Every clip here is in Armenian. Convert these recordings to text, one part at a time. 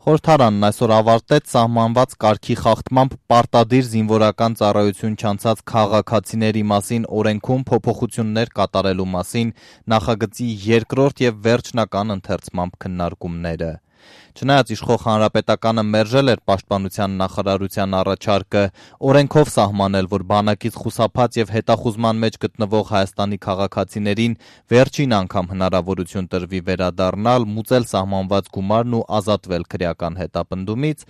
Խորհրդարանն այսօր ավարտեց սահմանված կարգի խախտմամբ պարտադիր զինվորական ծառայություն չանցած քաղաքացիների մասին օրենքում փոփոխություններ կատարելու մասին նախագծի երկրորդ և վերջնական ընթերցմամբ քննարկումները։ Չնայած իշխող Հանրապետականը մերժել էր Պաշտպանության նախարարության առաջարկը օրենքով սահմանել, որ բանակից խուսափած և հետախուզման մեջ գտնվող Հայաստանի քաղաքացիներին վերջին անգամ հնարավորություն տրվի վերադառնալ, մուծել սահմանված գումարն ու ազատվել քրեական հետապնդումից,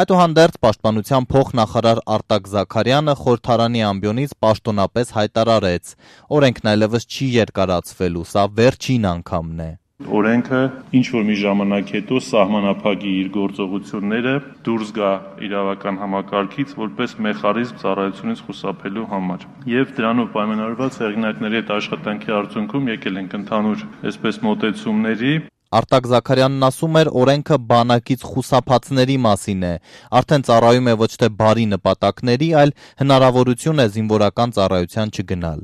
այդուհանդերձ Պաշտպանության փոխնախարար Արտակ Զաքարյանը խորհրդարանի ամբիոնից պաշտոնապես հայտարարեց. օրենքն այլևս չի երկարացվելու, սա վերջին անգամն է։ Օրենքը ինչ-որ մի ժամանակ հետո սահմանափակի իր գործողությունները, դուրս գա իրավական համակարգից որպես մեխանիզմ ծառայությունից խուսափելու համար։ Եվ դրանով պայմանավորված հեղինակների հետ աշխատանքի արդյունքում եկել ենք ընդհանուր այսպես մոտեցումների։ Արտակ Զաքարյանն ասում էր, օրենքը բանակից խուսափածների մասին է, արդեն ծառայում է ոչ թե բարի նպատակների, այլ հնարավորություն է զինվորական ծառայության չգնալ։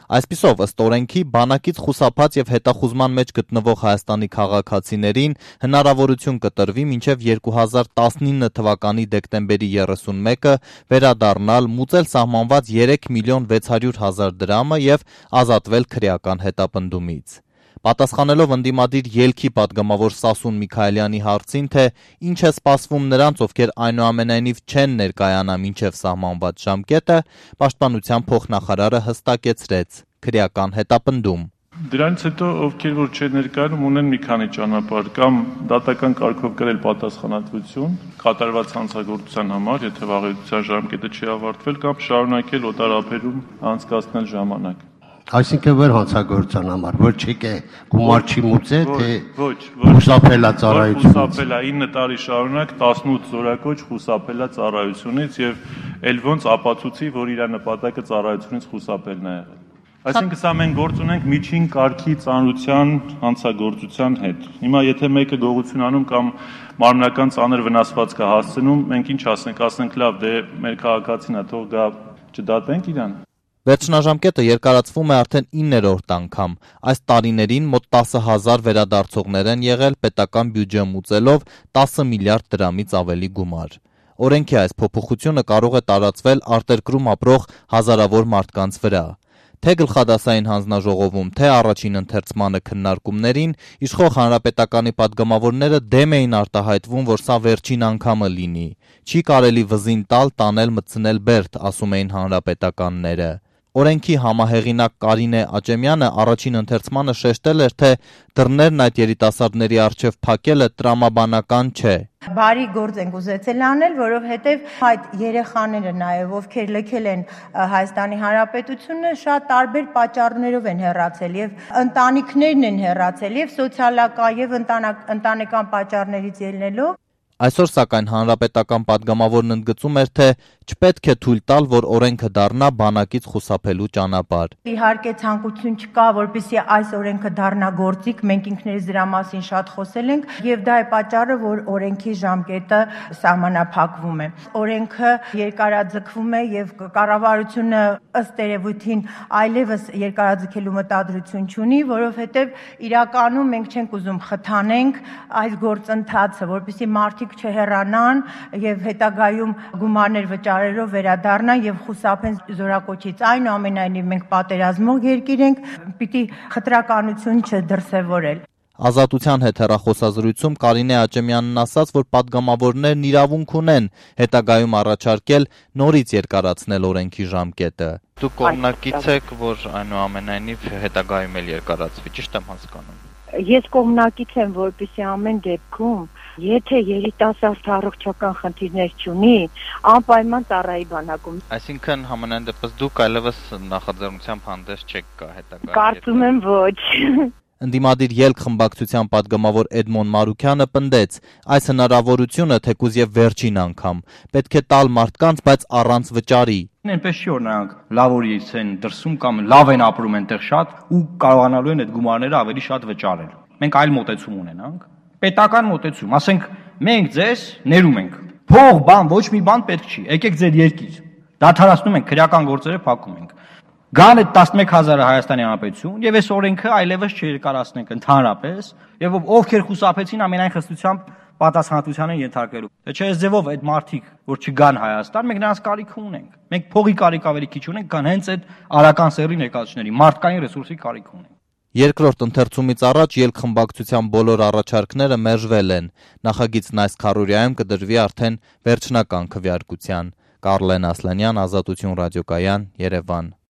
Այսպիսով, ըստ օրենքի, բանակից խուսափած և հետախուզման մեջ գտնվող Հայաստանի քաղաքացիներին հնարավորություն կտրվի մինչև 2019 թվականի դեկտեմբերի 31-ը վերադառնալ, մուծել սահմանված 3.600.000 դրամը և ազատվել քրեական հետապնդումից։ Պատասխանելով ընդդիմադիր ելքի պատգամավոր Սասուն Միքայելյանի հարցին, թե ինչ է սպասվում նրանց, ովքեր այնուամենայնիվ չեն ներկայանա մինչև սահմանված ժամկետը, Պաշտպանության փոխնախարարը հստակեցրեց՝ քրեական հետապնդում։ Դրանից հետո ովքեր որ չեն ներկայանում ունեն մի քանի ճանապարհ, կամ դատական կարգով կրել պատասխանատվություն կատարված հանցագործության համար, եթե վաղեցության ժամկետը չի ավարտվել, կամ շարունակել օտարափերում անցկացնել ժամանակ։ Այսինքն որ հանցագործության համար, որ չեկե գումար չի մուծե, թե խուսափելա ծառայությունից։ Խուսափելա 9 տարի շարունակ 18 զորակոչ խուսափելա ծառայությունից եւ ել ոնց ապացուցի, որ իր նպատակը ծառայությունից խուսափելն է եղել։ Այսինքն սա մենք գործ ունենք միջին կարգի ծանրության հանցագործության հետ։ Հիմա եթե մեկը գողություն անում կամ մարմնական ծանր վնասվածք է հասցնում, մենք ինչ ասենք լավ, դե մեր քաղաքացին է, թող գա չդատենք իրան։ Վերջնաժամկետը երկարացվում է արդեն 9-րդ անգամ։ Այս տարիներին մոտ 10,000 վերադարձողներ են եղել, պետական բյուջե մուծելով 10 միլիարդ դրամից ավելի գումար։ Օրենքի այս փոփոխությունը կարող է տարածվել արտերկրում ապրող հազարավոր մարդկանց վրա։ Թե գլխադասային հանձնաժողովում, թե առաջին ընթերցմանը քննարկումներին իշխող Հանրապետականի պատգամավորները դեմ էին արտահայտվում, որ սա վերջին անգամը լինի։ Չի կարելի վզին տալ, տանել, մտցնել բերդ, ասում էին հանրապետականները։ Օրենքի համահեղինակ Կարինե Աճեմյանը առաջին ընթերցմանը շեշտել էր, թե դռներն այդ երիտասարդների առջև փակելը տրամաբանական չէ։ Բարի գործ ենք ուզեցել անել, որովհետև այդ երեխաները նաև, ովքեր լքել են Հայաստանի Հանրապետությունը, շատ տարբեր պատճառներով են հեռացել եւ ընտանիքներն են հեռացել եւ սոցիալական եւ ընտանեկան պատճառներից ելնելով։ Այսօր սակայն հանրապետական պատգամավորն ընդգծում էր, թե չպետք է թույլ տալ, որ օրենքը դառնա բանակից խուսափելու ճանապարհ։ Իհարկե ցանկություն չկա, որպեսզի այս օրենքը դառնա գործիք, մենք ինքներս դրա մասին շատ խոսել ենք, եւ դա է պատճառը, որ օրենքի ժամկետը սահմանափակվում է։ Օրենքը երկարաձգվում է եւ կառավարությունը ըստ երևույթին այլևս երկարաձգելու մտադրություն չունի, որովհետեւ իրականում մենք չենք ուզում խթանենք այս գործընթացը, որպեսզի մարդիկ չհեռանան եւ հետագայում գումարներ վճարելով վերադառնան եւ խուսափեն զորակոչից։ Այնուամենայնիվ մենք պատերազմող երկիր ենք, պիտի խտրականություն չդրսևորել։ Ազատության հետ հեռախոսազրույցում Կարինե Աճեմյանն ասաց, որ պատգամավորներն իրավունք ունեն հետագայում առաջարկել նորից երկարացնել օրենքի ժամկետը։ Դուք կողմնակից եք, որ այնուամենայնիվ հետագայում էլ երկարացվի, ճիշտ եմ հասկանում։ Ես կողմնակից եմ, որպեսզի ամեն դեպքում, եթե երիտասարդ առողջական խնդիրներ չունի, անպայման ծառայի բանակում։ Այսինքն համենայն դեպս դուք այլևս նախաձեռնությամբ հանդես չեք գա հետագայում։ Կարծում եմ ոչ։ Ընդդիմադիր ելք խմբակցության պատգամավոր Էդմոն Մարուքյանը պնդեց, այս հնարավորությունը թեկուզ եւ վերջին անգամ պետք է տալ մարդկանց, բայց առանց վճարի։ Այնպես չի որ նրանք լավ օրից են դրսում կամ լավ են ապրում այնտեղ շատ ու կարողանալու են այդ գումարները ավելի շատ վճարել։ Մենք այլ մոտեցում ունենանք, պետական մոտեցում, ասենք մենք ձեզ ներում ենք։ Փող, բան, ոչ մի բան պետք չի։ Եկեք ձեր երկիր։ Դադարացնում ենք քրեական գործերը, փակում ենք։ Գան այդ 11,000-ը Հայաստանի Հանրապետություն եւ այս օրենքը այլևս չերկարացնենք ընդհանրապես եւ ովքեր խուսափեցին ամենայն խստությամբ պատասխանատվության են ենթարկվելու։ Թե չէ այս ձևով այդ մարդիկ, որ չգան Հայաստան, մենք նրանց կարիք ունենք։ Մենք փողի կարիք ավելի քիչ ունենք, քան հենց այդ արական սեռի ներկայացուցիչների, մարդկային ռեսուրսի կարիք ունենք։ Երկրորդ ընթերցումից առաջ ելքխմբակցության բոլոր առաջարկները մերժվել են։ Նախագիծն այս քառորյայում կդրվի արդեն վերջնական քվեարկության։ Կարլեն Ասլանյան, Ազատություն ռադիոկայան, Երևան։